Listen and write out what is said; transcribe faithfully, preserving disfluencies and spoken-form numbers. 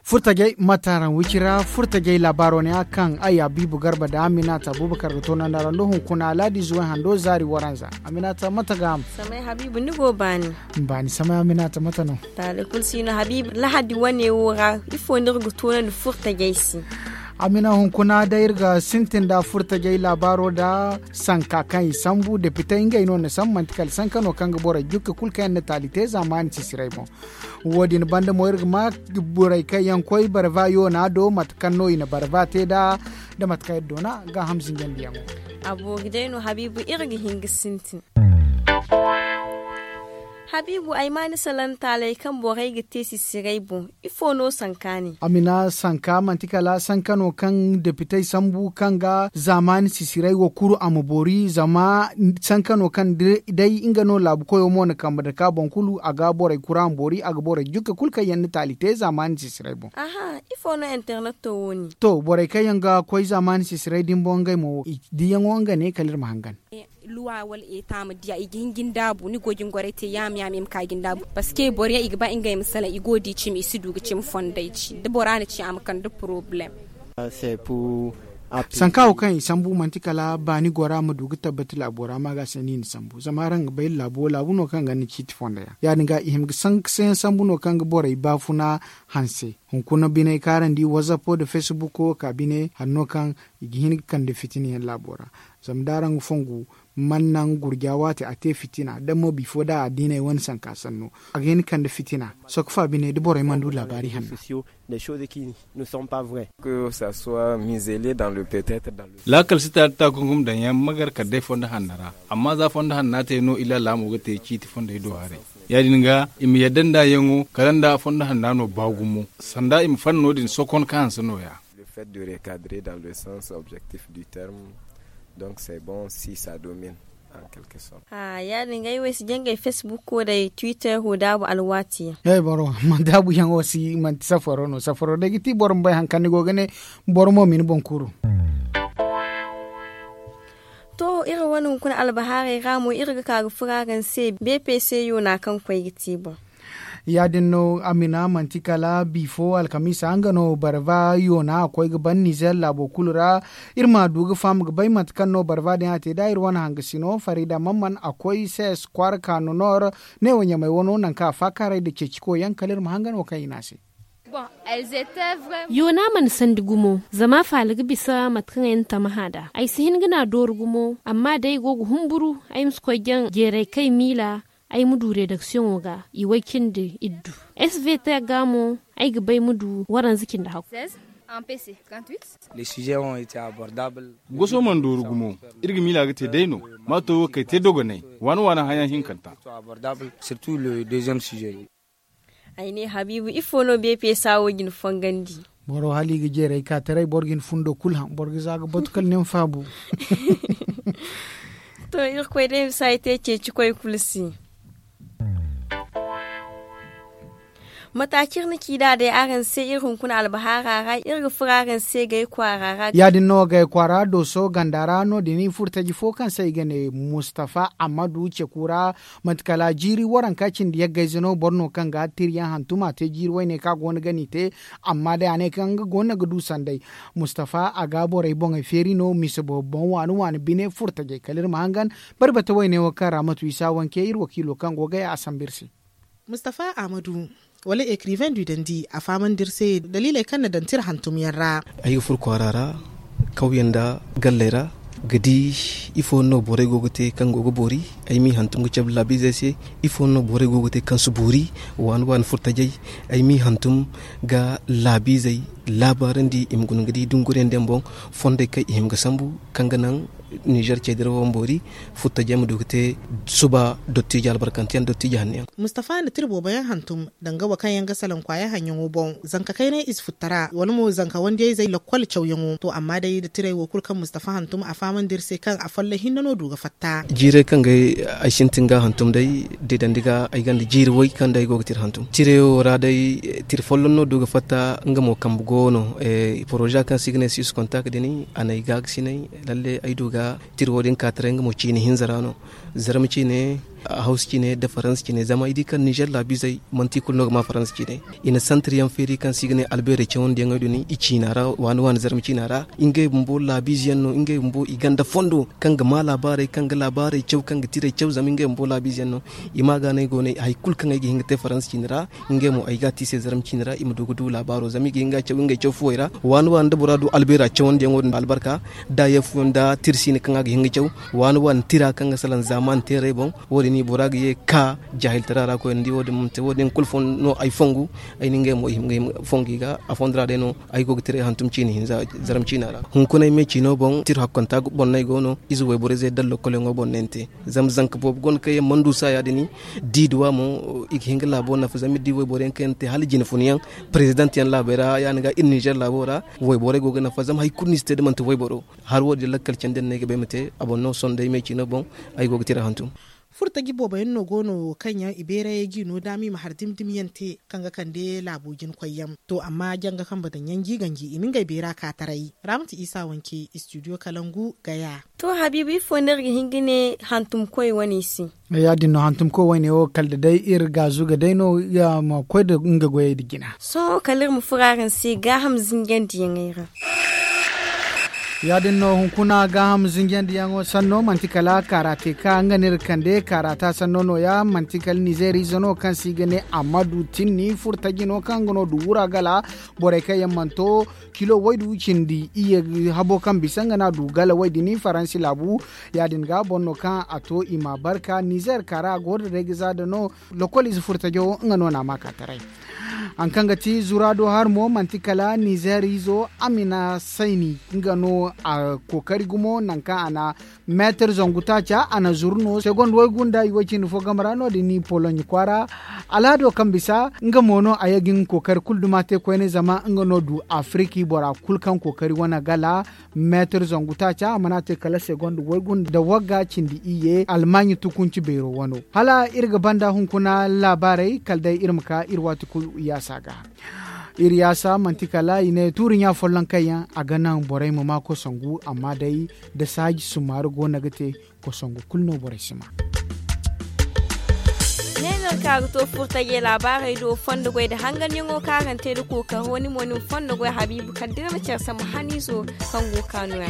Furtajey mataraŋ wicira furtajey laabaaro ne a kaŋ ay habiibu garba da aminata abubakar ga toonandi araŋ do hunkuna laadi zuway hando zaari waranza. Aminata mate ga ham? Samay habiibu ni go baani. Baani samay aminata mate no? Taali kulu si no habiibu lahadi wane wo ra ifo no iri ga toonandi furtajey se? Amina hunkuna day iri ga sintin da furtajey laabaaro da sanka kaŋ i sambu depitey ngey no na sambu manti kala sanka no kaŋ ga borey jukka kulu kaŋ yaŋ na taali te zaamaani sisiray boŋ. Wo- din banda mo iri ga ma borey kaŋ yaŋ koy barva yoona do mate kaŋ no i na barva te nd'a, da mate kaŋ iri doona gaaham zinjandiyaŋo. A boori day no habiibu iri ga hin ga sintin. Habiibu ay ma ni salaŋ taaley kaŋ borey ga te sisiray boŋ ifo no sanka ne? Amina sanka manti kala sanka no kaŋ depitey sambu kaŋ ga zaamaani sisiray wo kuru a ma boori zama sanka no kaŋ day nga no laabu koyo mo na kambe nda ka boŋ kulu a ga borey kura ma boori a ga borey jukka kulu kaŋ yaŋ na taali te zaamaani sisiray boŋ. Ifo no internet to wo- ni? To borey kaŋ yaŋ ga koy zaamaani sisiray din boŋ ngey mo diyaŋo nga ne kala iri ma hangan. Luwa wala eta ma diya i ga hin ga ni daabu ni go ga ni gorey te yaama yaama i ma ka ga ni daabu parceque boro yaŋ i ga ba ngey ma salaŋ i go ga di cimi i si du ga cimi fondey ci da bora na ci a ma kande porobalem. Sanka wo kaŋ i sambu manti kala baani gora ma du ga tabbati laabo ra ma ga se no i na sambu zama araŋ ga bay laabo laabu no kaŋ ga ni ciiti fondo yaŋ ya- din ga i hima ga sanka se yaŋ sambu no kaŋ ga borey baafuna hanse. Hunkuna biney kaarandi wazappo nda feesibuko ka bine hari no kaŋ i ga hin ga kande fitina yaŋ laabo ra. Zama da araŋ ga fongu man naŋ gurja waati a te fitina da mo bifo da a diiney wane sanka sanno a ga hin ga kande fitina. Sokka fa bine da borey mana du laabaari hanna. Laakal si taali ta gungum daŋ yaŋ ma gar kala day fondo hanna ra. Amma za fondo hanna te no illa laamo ga te ciiti fondey do haray. Ya- din ga i ma yadda nda yaŋo kala nda fondo hanna no ba gumo sanda i ma fanda no- din sokon ka hanse nooya. Le fait de recadrer dans le sens objectif du terme. Donc c'est bon si ça domine en quelque sorte. Ya- din ga ay wo ay si jangay facebook wo day twitter wo daabu alwaati yaŋ. Ay boro ma daabu yaŋo si manti safaro no safaro day ga ti boro ma bay hari kaŋ ni go ga ne. Boro mo ma ni boŋ kuru. To iri wane hunkuna albahaarey ra mo iri ga ka ga furo araŋ se bpc yoona kaŋ koy ga te boŋ. Ya- din no amina manti kala bifo alkamiisa nga no barba yoona a koy ga ban nizer laabo kulu ra. Iri ma du ga faham ga bay mate kaŋ no barba din a te da iri wane hangasino farida mamman a koy ses kwaara ka nonor. Ne wo ɲamay wano nangu kaŋ a faakaaray nda ceeciko yaŋ kala iri ma hangan wo kaŋ i ne a se. Yoona mana sandi gumo zama faala ga bisa mate kaŋ ay na tamaha nd'a ay si hin ga n'a dooru gumo amma day ay go ga humburu ay ma si koy jaŋ jeeray kaŋ ay miila. Ay ma du redaksiyoŋo ga i way cindi iddu. Svt ga mo ay ga bay ma du waranza cindi hakku. Goso mana dooru gumo. Iri ga miila ga te day no. Maato wo kay te dogonay waani waani hayaŋ hinkanta. Ay ne habiibu ifo no beepe saawo ga ni fongandi? Boro hala i ga jeeray ka taray boro ga ni fundo kulu haŋ boro ga za ga batu kala ni ma faabu. To irkoy day ma si ay te ceeci koy kulu se. Mata kaŋ iri na ci nd'a day araŋ se iri hunkuna albahaara ra iri ga furo araŋ se gay kwaara ra. Ya- din no gay kwaara dooso ganda ra no- din i furo taji fo kaŋ se i ga ne mustafa ammadu ceku ra. Manti kala jiiri waranka cindi yaggayze no boro no kaŋ ga tiriyaŋ hantum a te jiiri wayne kaŋ a go no ga n'i te. Amma day a ne kaŋ nga go no ga du sanday. Mustafa a ga borey boŋey feeri no mise boobo boŋ waani waani bine furo tajey kala iri ma hangan. Bari bata wayne wo kaŋ ra matu isa wanke iri wakiilo kaŋ go gay a sambu iri se. Mustafa ahmadu, wala ekiriven du dandi a fahamandi iri se daliiley kaŋ na daŋ tira hantumyaŋ ra. Ay ga furo kwaara ra kawyaŋ nda galley ra ga di ifo no borey go ga te kaŋ go ga boori. Ay m'i hantum ga cabe laabiizey se. Ifo no borey go ga te kaŋ si boori? Waani waani furtajey ay m'i hantum ga laabiizey laabaarandi i ma guna ga di dunguriyaŋ diyaŋ boŋ fondey kaŋ i hima ga sambu kaŋ ga naŋ Nizer cey dirawo ma boori, futta jey ma du ga te suba dottijo albarkanteyaŋ dottijo hanno yaŋ. Mustafa na tira boobo yaŋ hantum danga wo kaŋ yaŋ ga salaŋ kwaaya haŋyaŋo boŋ. Zanka kaynay ize futta ra wala mo zanka wandiyayzey lakkol cawyaŋo to amma day nda tirey wo kulu kaŋ mustafa hantum a fahamandi iri se kaŋ a folloŋ hinne no du ga fatta. Jiirey kaŋ ga ay sintin ga hantum day deedandi ga ay gonda jiiri way kaŋ day ay go ga tira hantum tirayo ra day. Tira folloŋ no du ga fatta nga mo kambe go no. Poroza kaŋ se i ga ne six kontak din a na ay gaagasinay. Lalle ay du ga tira wo- din ka taray nga mo ciine hinza ra no. Zarma ciine, hawsa ciine nda faransa ciine zama ay di kaŋ nizer laabiizey manti kulu no ga ma faransa ciine. I na santir yaŋ feeri kaŋ se i ga ne albeerey cawandiyaŋey din i ciina ra waani waani zarma ciina ra. Ngey bumbo laabiize yaŋ no ngey bumbo i gonda fondo kaŋ ga ma laabaarey kaŋ ga laabaarey caw kaŋ ga tirey caw zama ngey bumbo laabiize yaŋ no. I ma ga no ay go no hari kulu kaŋ ay ga hin ga te faransa ciine ra. Ngey mo ay ga a te i se zarma ciine ra i ma du ga du laabaaro zama i ga hin ga a caw ngey caw fuwey ra. Waani waani da bora du albeera cawandiyaŋo din albarka da yeefuyaŋ da tirsiine kaŋ a ga hin ga caw. Waani waani tira kaŋ ga salaŋ zaamaani teerey boŋ. Wo- din i bora ga ye ga ka jaahiltara ra koyne ni di wo- din kulu fondo no ay fongu. Ay na ngey mo i hima ga hima fongu i ga a fondo ra day no. Ay go ga tiray hantum ciine hinza zarma ciina ra. Hunkunay me ciino boŋ tira hakkanta boŋ no ay go no ize wayborayzey da lokkolyaŋo boŋ no ay na te. Zama zanka boobo go no kaŋ yaŋ mana du saaya din. Da i duw'a mo i ga hin ga laabo nafa zama iri di wayborey yaŋ kaŋ yaŋ na te hala jine funa yaŋ. Parezidaŋ yaŋ laabey ra ya- din ga iri nizer laabo ra. Wayborey go ga nafa zama hari kulu no i si te da manti wayboro. Hari wo- din lakkal candi yaŋ no ay ga ba ay ma te a boŋ no sohõ day me ciino boŋ. Ay go ga tira hantum. Furtaji boobo yaŋ no go no kaŋ yaŋ i beerayey ga i no daama i ma hari dimi dimi yaŋ te kaŋ ga kande laabo jina koy yaŋ. To amma janga kambe daŋ yaŋ ga i ganji i na ngey beera ka taray. Raamatu isa wanke istidiyo kalangu gaya. To habiibu ifo no iri ga hin ga ne hantumkoy wane se? Ya- din no hantumkoy wane wo kala da day iri gaazu ga day no. Ma koy nda nga goyey nda jina. Sohõ kala iri ma furo araŋ se gaaham zinjandiyaŋey ra. Ya- din no hunkuna gaaham zinjandiyaŋo sanno manti kala kaarate ka nga no iri kande kaarata sanno nooya manti kala nizeeriize no kaŋ se i ga ne ammadu tinni furtaji no kaŋ nga no du wura gala. Borey kaŋ yaŋ mana to kilo waydu cindi iyye habo kaŋ bisa nga no a du gala way- din faransi laabu. Ya- din ga boro no kaŋ a to i ma barka nizeer kaara a go nda day ga za da no. Lokol ize furtajo nga no na a ma ka taray. Hari kaŋ ga ti zura do hari mo manti kala nizeer izo amina sayni nga no a kookari gumo nangu kaŋ a na meetir zangu taaca a na zuru no segond waygu nda i way cindi fo game ra no- din ni poloɲe kwaara. Alhado kaŋ bisa nga mo no a ye ga nga kookari kulu duma te koyne zama nga no du afiriki bora kulu kaŋ kookari wane gala. Meetir zangu taaca a mana te kala segond waygu nda wagga cindi iyye almaaɲi tukunci beero wano. Hala iri ga banda hunkuna laabaarey kala day iri ma ka iri waati kulu yaasa ga. Iri yaasa manti kala i ne tuuri ɲa folloŋ kaŋ yaŋ a ga naŋ borey ma maa kosangu amma day da saaji summaari go no ga te. Kosangu kulu no borey si maa. Ne no ka ga to furtajey laabaarey do fondo goy nda hanganyaŋo kaŋ araŋ te nda kookaro ni mo ni ma fondo goy habiibu kala da iri ma care sambu haniizo kaŋ go ga ka nooya.